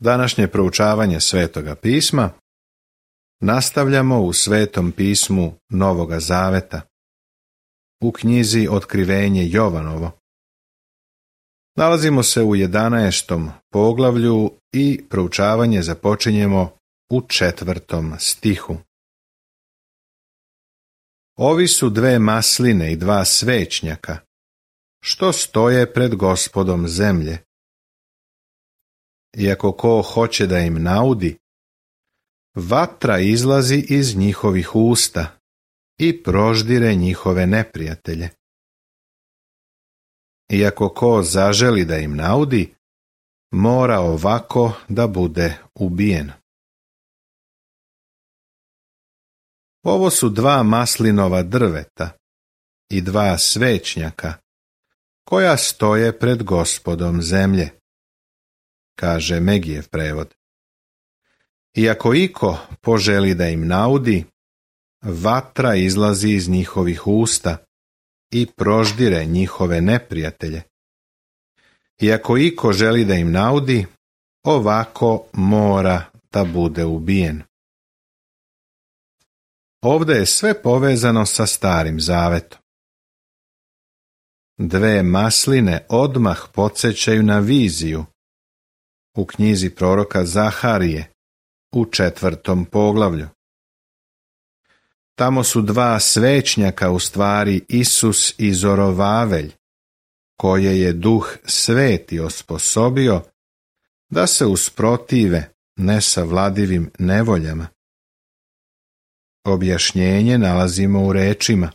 Današnje proučavanje Svetoga pisma nastavljamo u Svetom pismu Novoga Zaveta, u knjizi Otkrivenje Jovanovo. Nalazimo se u 11. poglavlju i proučavanje započinjemo u 4. stihu. Ovi su 2 masline i 2 svećnjaka, što stoje pred Gospodom zemlje. Iako ko hoće da im naudi, vatra izlazi iz njihovih usta i proždire njihove neprijatelje. Iako ko zaželi da im naudi, mora ovako da bude ubijen. Ovo su 2 maslinova drveta i 2 svećnjaka, koja stoje pred Gospodom zemlje, kaže Megijev prevod. Iako iko poželi da im naudi, vatra izlazi iz njihovih usta i proždire njihove neprijatelje. Iako iko želi da im naudi, ovako mora da bude ubijen. Ovdje je sve povezano sa Starim Zavetom. 2 masline odmah podsjećaju na viziju u knjizi proroka Zaharije u 4. poglavlju. Tamo su 2 svećnjaka, u stvari Isus i Zorovavelj, koje je Duh Sveti osposobio da se usprotive nesavladivim nevoljama. Objašnjenje nalazimo u rečima: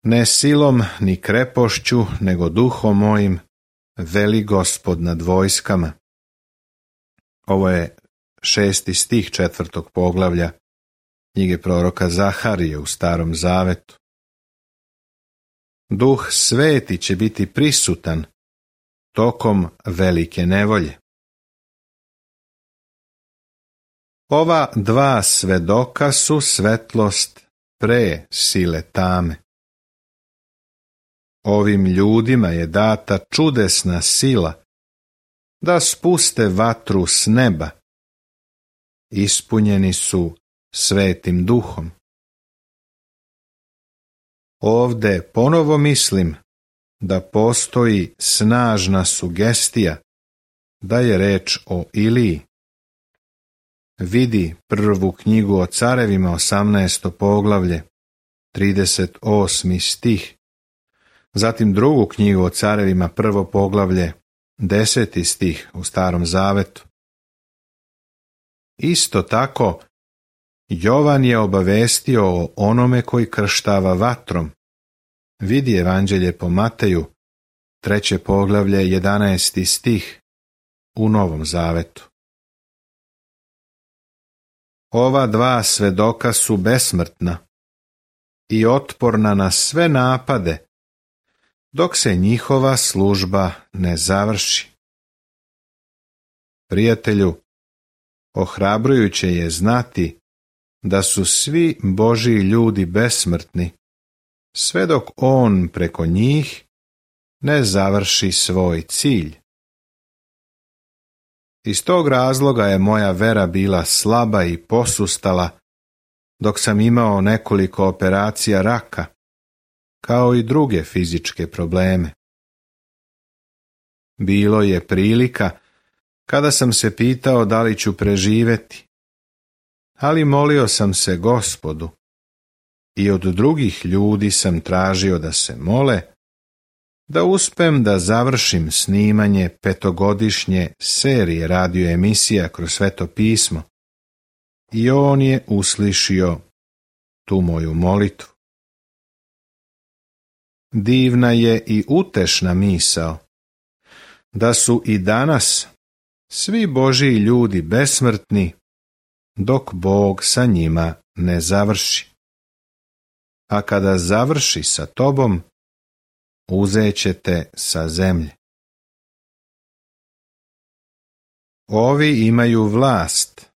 ne silom ni krepošću, nego duhom mojim, veli Gospod nad vojskama. Ovo je 6. stih 4. poglavlja knjige proroka Zaharije u Starom Zavetu. Duh Sveti će biti prisutan tokom velike nevolje. Ova 2 svedoka su svetlost pre sile tame. Ovim ljudima je data čudesna sila da spuste vatru s neba. Ispunjeni su Svetim Duhom. Ovde ponovo mislim da postoji snažna sugestija da je reč o Iliji. Vidi prvu knjigu o carevima, 18. poglavlje, 38. stih. Zatim drugu knjigu o carevima, 1. poglavlje, 10. stih u Starom Zavetu. Isto tako, Jovan je obavestio o onome koji krštava vatrom. Vidi Evanđelje po Mateju, 3. poglavlje, 11. stih u Novom Zavetu. Ova 2 svedoka su besmrtna i otporna na sve napade, dok se njihova služba ne završi. Prijatelju, ohrabrujuće je znati da su svi Božji ljudi besmrtni, sve dok On preko njih ne završi svoj cilj. Iz tog razloga je moja vera bila slaba i posustala dok sam imao nekoliko operacija raka, kao i druge fizičke probleme. Bilo je prilika kada sam se pitao da li ću preživjeti, ali molio sam se Gospodu i od drugih ljudi sam tražio da se mole, da uspem da završim snimanje 5-godišnje serije radio emisija kroz Sveto pismo, i On je uslišio tu moju molitvu. Divna je i utešna misao da su i danas svi Božji ljudi besmrtni, dok Bog sa njima ne završi. A kada završi sa tobom, uzećete sa zemlje. Ovi imaju vlast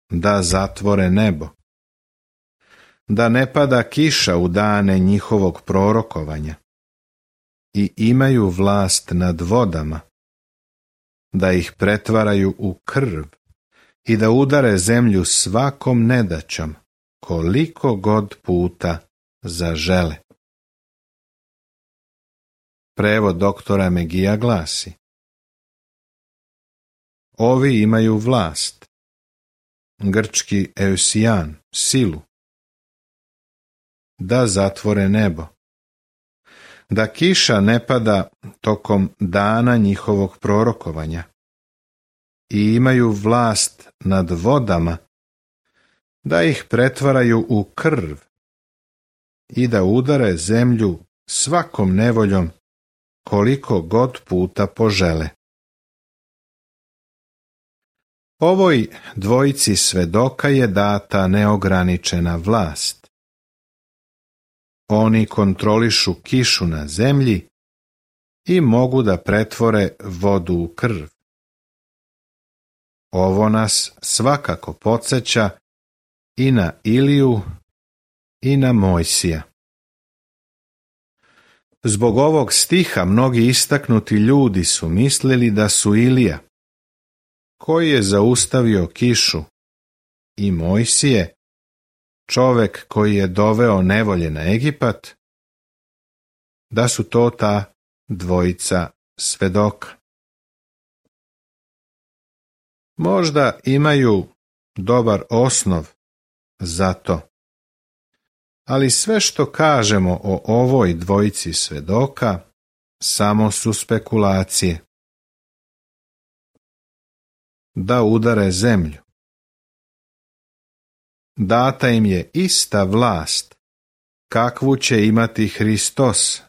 da zatvore nebo, da ne pada kiša u dane njihovog prorokovanja, i imaju vlast nad vodama, da ih pretvaraju u krv i da udare zemlju svakom nedaćom, koliko god puta zažele. Prevod doktora Megija glasi: Ovi imaju vlast, grčki eusijan, silu, da zatvore nebo, da kiša ne pada tokom dana njihovog prorokovanja, i imaju vlast nad vodama, da ih pretvaraju u krv i da udare zemlju svakom nevoljom koliko god puta požele. Ovoj dvojici svedoka je data neograničena vlast. Oni kontrolišu kišu na zemlji i mogu da pretvore vodu u krv. Ovo nas svakako podsjeća i na Iliju i na Mojsija. Zbog ovog stiha mnogi istaknuti ljudi su mislili da su Ilija, koji je zaustavio kišu, i Mojsije, čovek koji je doveo nevolje na Egipat, da su to ta dvojica svedoka. Možda imaju dobar osnov za to, ali sve što kažemo o ovoj dvojici svedoka samo su spekulacije. Da udare zemlju. Data im je ista vlast kakvu će imati Hristos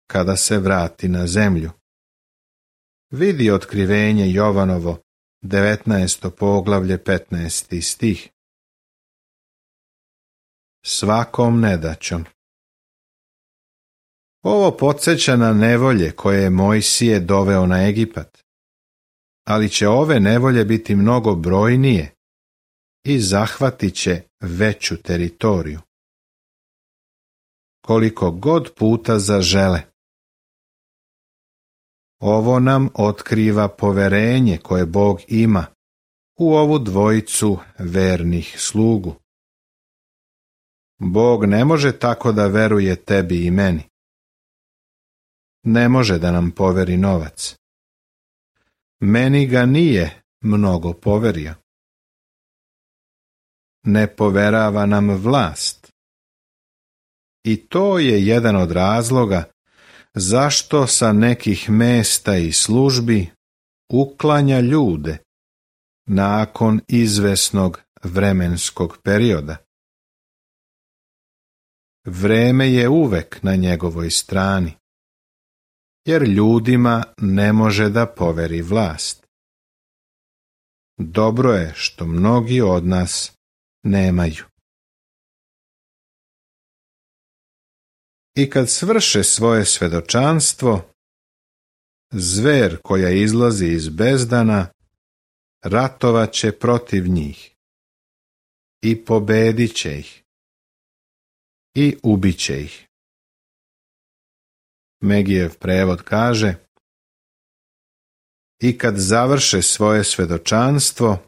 kada se vrati na zemlju. Vidi Otkrivenje Jovanovo 19. poglavlje 15. stih. Svakom nedaćom. Ovo podsjeća na nevolje koje je Mojsije doveo na Egipat, ali će ove nevolje biti mnogo brojnije i zahvatit će veću teritoriju. Koliko god puta zažele. Ovo nam otkriva poverenje koje Bog ima u ovu dvojicu vernih slugu. Bog ne može tako da veruje tebi i meni. Ne može da nam poveri novac. Meni ga nije mnogo poverio. Ne poverava nam vlast. I to je jedan od razloga zašto sa nekih mesta i službi uklanja ljude nakon izvesnog vremenskog perioda. Vreme je uvek na njegovoj strani, jer ljudima ne može da poveri vlast. Dobro je što mnogi od nas nemaju. I kad svrše svoje svedočanstvo, zver koja izlazi iz bezdana ratovaće protiv njih i pobedit će ih i ubiće ih. Megijev prevod kaže: I kad završe svoje svedočanstvo,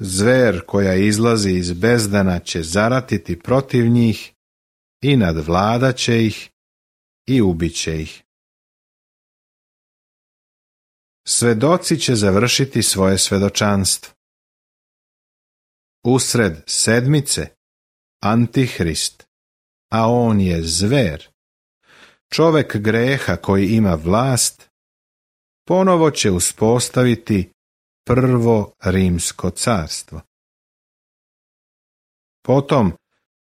zver koja izlazi iz bezdana će zaratiti protiv njih i nadvladaće ih i ubiće ih. Svedoci će završiti svoje svedočanstvo. Usred sedmice Antihrist, a on je zver, čovek greha koji ima vlast, ponovo će uspostaviti prvo rimsko carstvo. Potom,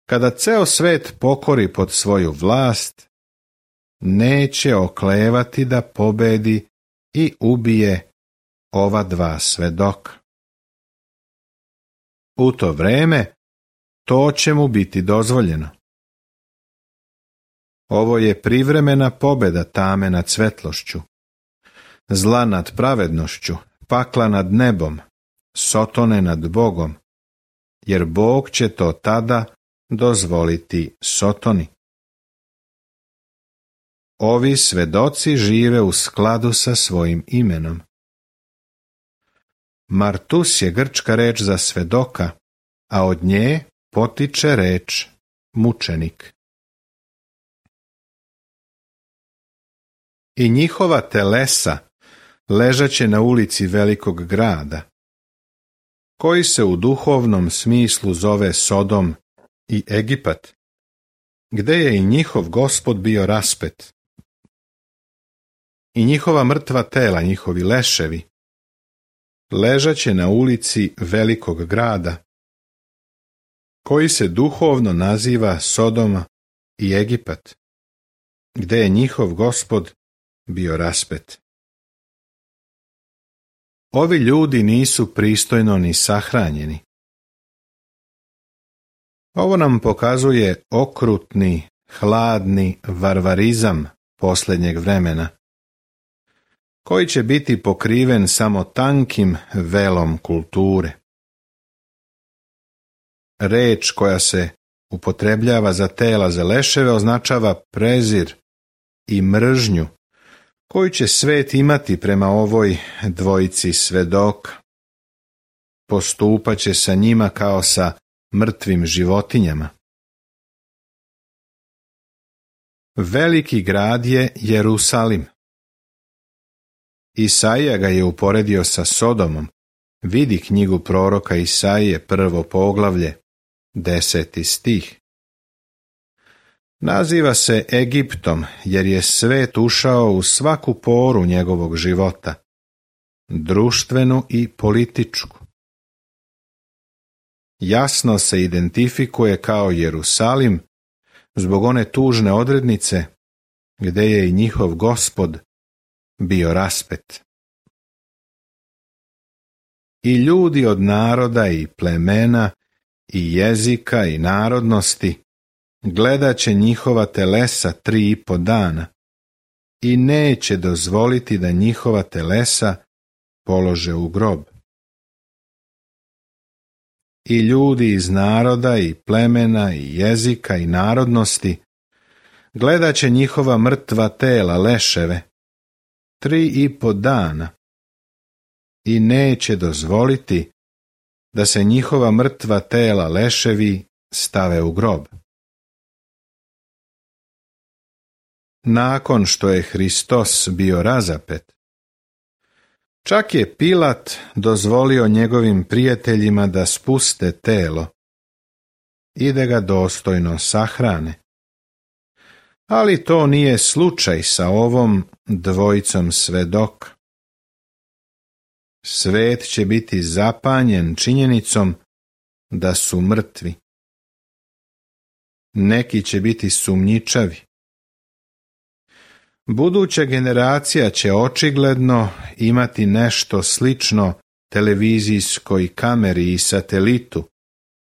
kada ceo svet pokori pod svoju vlast, neće oklevati da pobedi i ubije ova dva svedoka. U to vreme to će mu biti dozvoljeno. Ovo je privremena pobeda tame nad svetlošću, zla nad pravednošću, pakla nad nebom, Sotone nad Bogom, jer Bog će to tada dozvoliti Sotoni. Ovi svedoci žive u skladu sa svojim imenom. Martus je grčka reč za svedoka, a od nje potiče reč mučenik. I njihova telesa ležaće na ulici velikog grada, koji se u duhovnom smislu zove Sodom i Egipat, gde je i njihov Gospod bio raspet. I njihova mrtva tela, njihovi leševi, ležaće na ulici velikog grada, koji se duhovno naziva Sodoma i Egipat, gde je njihov Gospod bio raspet. Ovi ljudi nisu pristojno ni sahranjeni. Ovo nam pokazuje okrutni, hladni varvarizam posljednjeg vremena, koji će biti pokriven samo tankim velom kulture. Reč koja se upotrebljava za tela za leševe označava prezir i mržnju koju će svet imati prema ovoj dvojici svedoka. Postupaće sa njima kao sa mrtvim životinjama. Veliki grad je Jerusalim. Isaija ga je uporedio sa Sodomom. Vidi knjigu proroka Isaije, 1. poglavlje, 10. stih. Naziva se Egiptom jer je svet ušao u svaku poru njegovog života, društvenu i političku. Jasno se identifikuje kao Jerusalim zbog one tužne odrednice gdje je i njihov Gospod bio raspet. I ljudi od naroda i plemena i jezika i narodnosti gledat će njihova telesa 3,5 dana i neće dozvoliti da njihova telesa polože u grob. I ljudi iz naroda i plemena i jezika i narodnosti gledat će njihova mrtva tela, leševe, 3,5 dana i neće dozvoliti da se njihova mrtva tela, leševi, stave u grob. Nakon što je Hristos bio razapet, čak je Pilat dozvolio njegovim prijateljima da spuste telo i da ga dostojno sahrane. Ali to nije slučaj sa ovom dvojicom svedoka. Svet će biti zapanjen činjenicom da su mrtvi. Neki će biti sumnjičavi. Buduća generacija će očigledno imati nešto slično televizijskoj kameri i satelitu,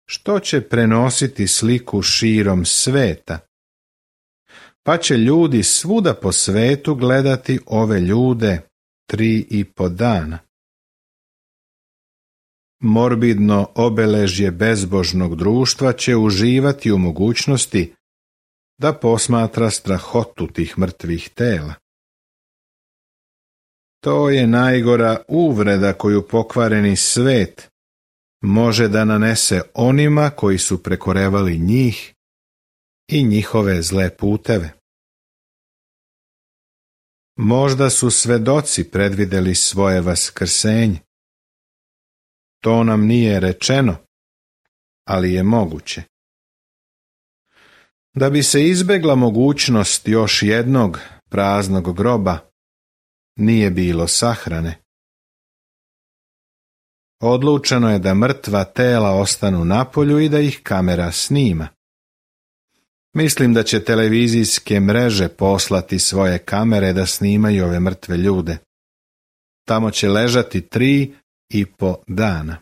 što će prenositi sliku širom sveta, pa će ljudi svuda po svetu gledati ove ljude 3,5 dana. Morbidno obeležje bezbožnog društva će uživati u mogućnosti da posmatra strahotu tih mrtvih tela. To je najgora uvreda koju pokvareni svet može da nanese onima koji su prekorevali njih i njihove zle puteve. Možda su svedoci predvideli svoje vaskrsenje. To nam nije rečeno, ali je moguće. Da bi se izbegla mogućnost još jednog praznog groba, nije bilo sahrane. Odlučeno je da mrtva tela ostanu napolju i da ih kamera snima. Mislim da će televizijske mreže poslati svoje kamere da snimaju ove mrtve ljude. Tamo će ležati 3,5 dana.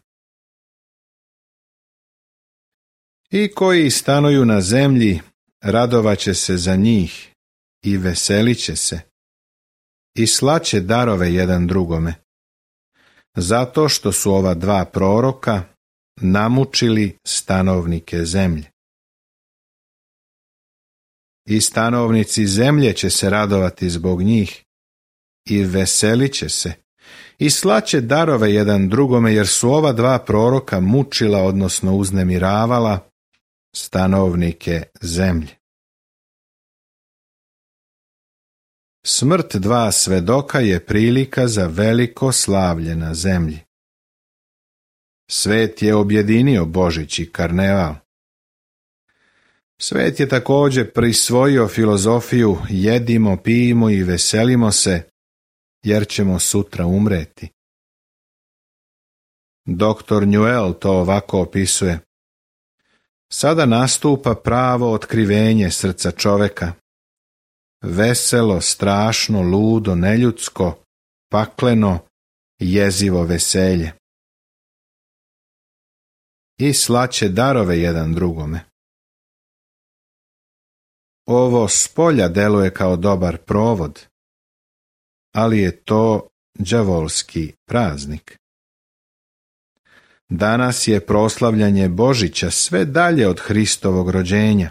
I koji stanuju na zemlji radovaće se za njih i veselit će se i slaće darove jedan drugome, zato što su ova dva proroka namučili stanovnike zemlje. I stanovnici zemlje će se radovati zbog njih i veselit će se i slaće darove jedan drugome, jer su ova dva proroka mučila, odnosno uznemiravala stanovnike zemlje. Smrt dva svedoka je prilika za veliko slavlje na zemlji. Svet je objedinio Božić i karneval. Svet je također prisvojio filozofiju jedimo, pijimo i veselimo se, jer ćemo sutra umreti. Dr. Newell to ovako opisuje. Sada nastupa pravo otkrivenje srca čoveka. Veselo, strašno, ludo, neljudsko, pakleno, jezivo veselje. I slaće darove jedan drugome. Ovo spolja deluje kao dobar provod, ali je to đavolski praznik. Danas je proslavljanje Božića sve dalje od Hristovog rođenja,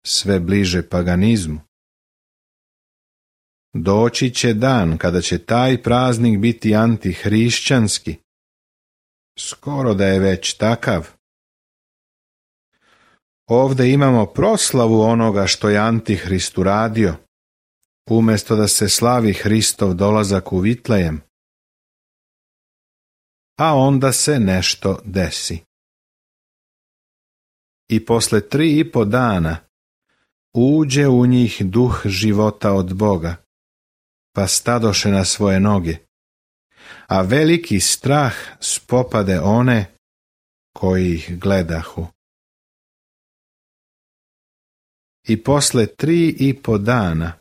sve bliže paganizmu. Doći će dan kada će taj praznik biti antihrišćanski. Skoro da je već takav. Ovdje imamo proslavu onoga što je Antihrist uradio, umjesto da se slavi Hristov dolazak u Vitlejem. A onda se nešto desi. I posle 3,5 dana uđe u njih duh života od Boga, pa stadoše na svoje noge, a veliki strah spopade one koji ih gledahu. I posle 3,5 dana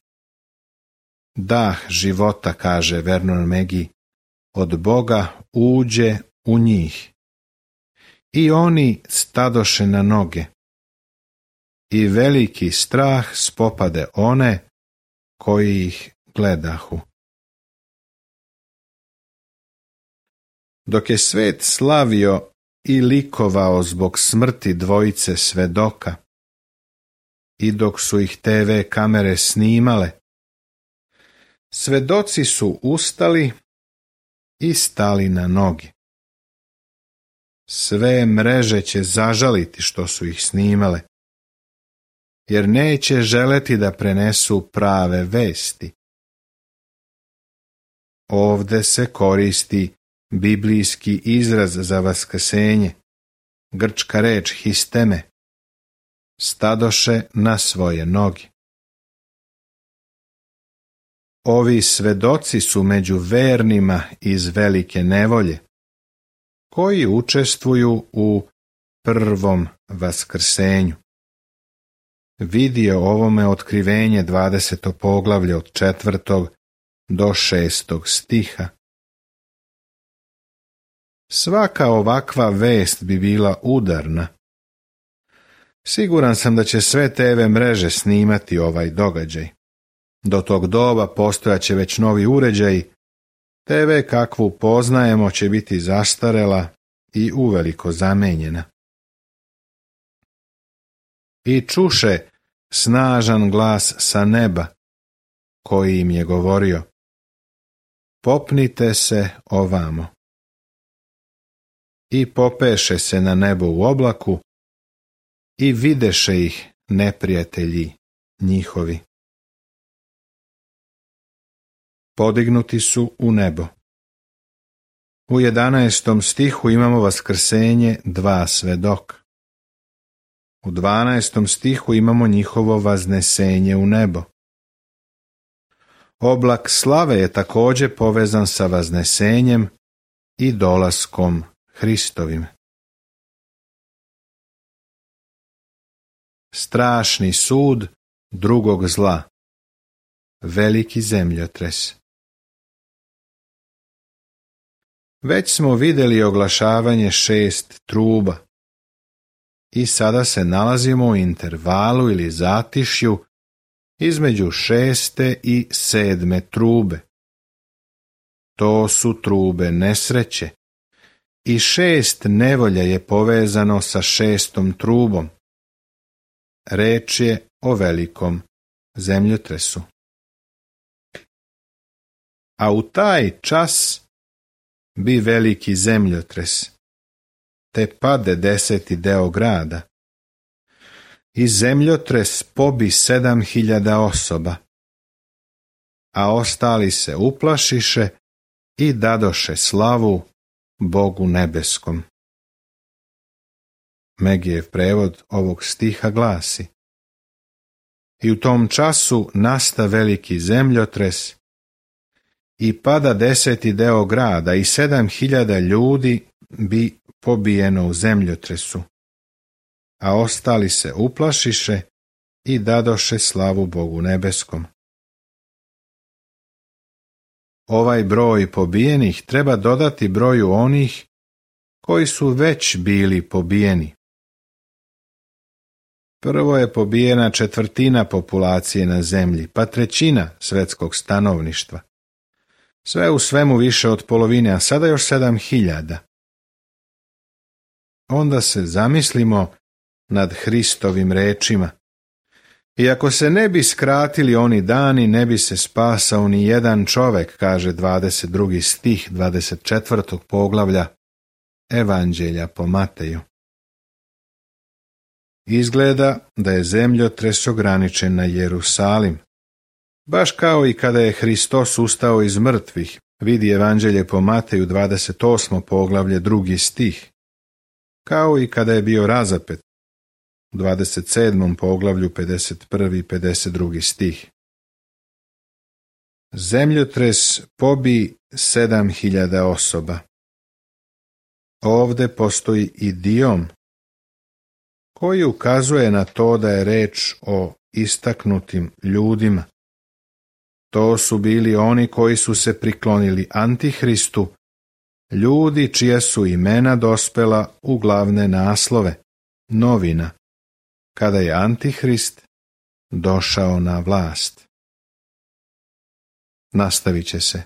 dah života, kaže Vernon Megi, od Boga uđe u njih. I oni stadoše na noge. I veliki strah spopade one koji ih gledahu. Dok je svet slavio i likovao zbog smrti dvojice svedoka, i dok su ih TV kamere snimale, svedoci su ustali i stali na noge. Sve mreže će zažaliti što su ih snimale, jer neće želeti da prenesu prave vesti. Ovde se koristi biblijski izraz za vaskrsenje, grčka reč histeme, stadoše na svoje noge. Ovi svedoci su među vernima iz velike nevolje, koji učestvuju u prvom vaskrsenju. Vidi o ovome otkrivenje 20. poglavlje od 4. do 6. stiha. Svaka ovakva vest bi bila udarna. Siguran sam da će sve TV mreže snimati ovaj događaj. Do tog doba postojaće već novi uređaji, TV kakvu poznajemo će biti zastarela i uveliko zamenjena. I čuše snažan glas sa neba, koji im je govorio: popnite se ovamo. I popeše se na nebo u oblaku i videše ih neprijatelji njihovi. Podignuti su u nebo. U 11. stihu imamo vaskrsenje dva svedoka. U 12. stihu imamo njihovo vaznesenje u nebo. Oblak slave je također povezan sa vaznesenjem i dolaskom Hristovim. Strašni sud drugog zla. Veliki zemljotres. Već smo vidjeli oglašavanje 6 truba i sada se nalazimo u intervalu ili zatišju između 6. i 7. trube. To su trube nesreće i 6 nevolja je povezano sa 6. trubom. Reč je o velikom zemljotresu. A u taj čas bi veliki zemljotres, te pade 10. deo grada. I zemljotres pobi 7.000 osoba, a ostali se uplašiše i dadoše slavu Bogu nebeskom. Megijev prevod ovog stiha glasi: I u tom času nasta veliki zemljotres i pada 10. deo grada i 7.000 ljudi bi pobijeno u zemljotresu, a ostali se uplašiše i dadoše slavu Bogu nebeskom. Ovaj broj pobijenih treba dodati broju onih koji su već bili pobijeni. Prvo je pobijena 1/4 populacije na zemlji, pa 1/3 svetskog stanovništva. Sve u svemu više od polovine, a sada još 7.000. Onda se zamislimo nad Hristovim rečima. Iako se ne bi skratili oni dani, ne bi se spasao ni jedan čovek, kaže 22. stih 24. poglavlja Evanđelja po Mateju. Izgleda da je zemljotres ograničen na Jerusalim. Baš kao i kada je Hristos ustao iz mrtvih, vidi Evanđelje po Mateju 28. poglavlje 2. stih. Kao i kada je bio razapet, u 27. poglavlju 51. i 52. stih. Zemljotres pobi 7.000 osoba. Ovde postoji idiom koji ukazuje na to da je reč o istaknutim ljudima. To su bili oni koji su se priklonili Antihristu, ljudi čija su imena dospela u glavne naslove novina, kada je Antihrist došao na vlast. Nastavit će se